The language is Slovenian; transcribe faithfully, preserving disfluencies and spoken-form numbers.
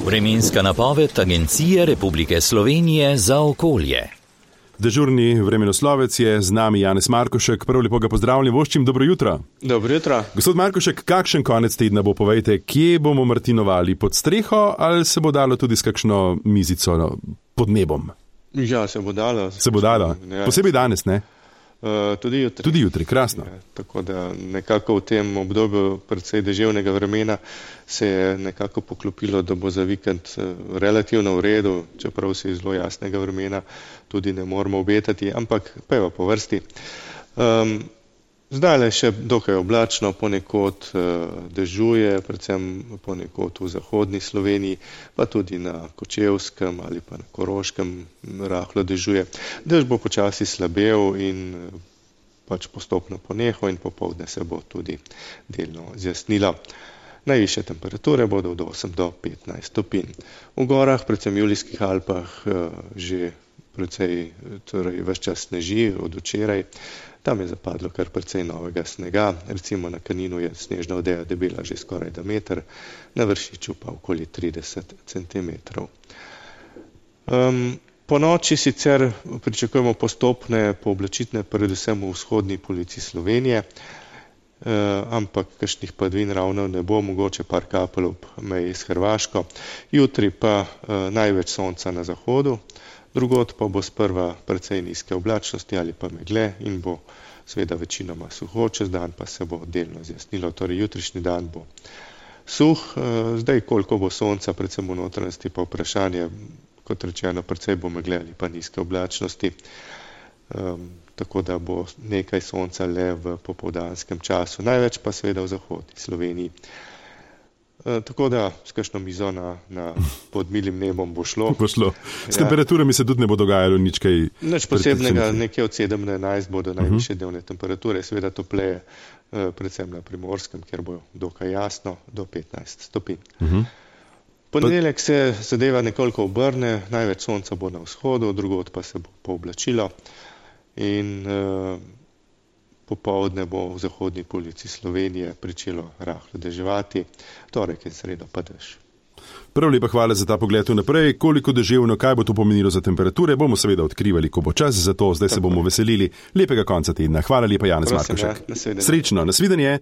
Vremenska napoved Agencije Republike Slovenije za okolje. Dežurni vremenoslovec je z nami Janez Markošek. Prav lepo ga pozdravljam, voščim, dobro jutro. Dobro jutro. Gospod Markošek, kakšen konec tedna bo, povejte, kje bomo martinovali, pod streho ali se bo dalo tudi s kakšno mizico no, pod nebom? Ja, se bo dalo. Se bo dalo, ja, posebej danes, ne? Uh, tudi jutri. Tudi jutri, krasno. Ja, tako da nekako v tem obdobju predvsej deževnega vremena se je nekako poklopilo, da bo za vikend relativno v redu, čeprav se iz zelo jasnega vremena tudi ne moramo obetati, ampak pejva po vrsti. Um, zdaj le še dokaj oblačno, ponekod uh, dežuje, predvsem ponekod v zahodni Sloveniji, pa tudi na Kočevskem ali pa na Koroškem rahlo dežuje. Dež bo počasi slabel in pač postopno ponehal in popoldne se bo tudi delno zjasnilo. Najvišje temperature bodo od osem do petnajst stopinj. V gorah, predvsem v Julijskih Alpah, uh, že precej, torej ves čas sneži od včeraj. Tam je zapadlo kar precej novega snega, recimo na Kaninu je snežna odeja debela že skoraj da meter, na Vršiču pa okoli trideset centimetrov. Um, po noči sicer pričakujemo postopne pooblačitve, predvsem v vzhodni polovici Slovenije, uh, ampak kakšnih padavin ravno ne bo, mogoče par kapelj ob meji s Hrvaško. Jutri pa uh, največ sonca na zahodu, drugod pa bo sprva precej nizke oblačnosti ali pa megle in bo seveda večinoma suho, čez dan pa se bo delno zjasnilo, torej jutrišnji dan bo suh, zdaj koliko bo sonca, predvsem v notranjosti pa vprašanje, kot rečeno, precej bo megle ali pa nizke oblačnosti, um, tako da bo nekaj sonca le v popoldanskem času, največ pa seveda v zahodni Sloveniji. Tako da s kakšno mizo na, na pod milim nebom bo šlo. Bo šlo. S ja. Temperaturami se tudi ne bo dogajalo nič kaj. Nič posebnega, nekje od sedem do enajst bodo najvišje dnevne temperature, seveda topleje, predvsem na Primorskem, kjer bo dokaj jasno, do petnajst stopinj. Uh-huh. Ponedeljek se zadeva nekoliko obrne, največ sonca bo na vzhodu, drugod pa se bo pooblačilo in uh, popoldne bo v zahodni polovici Slovenije pričelo rahlo deževati, torek in sredo pa dež. Prav lepa hvala za ta pogled vnaprej. Koliko deževno, kaj bo to pomenilo za temperature, bomo seveda odkrivali, ko bo čas, zato zdaj Tako. se bomo veselili lepega konca tedna. Hvala lepa, Janez Markošek. Ja, Srečno, nasvidenje.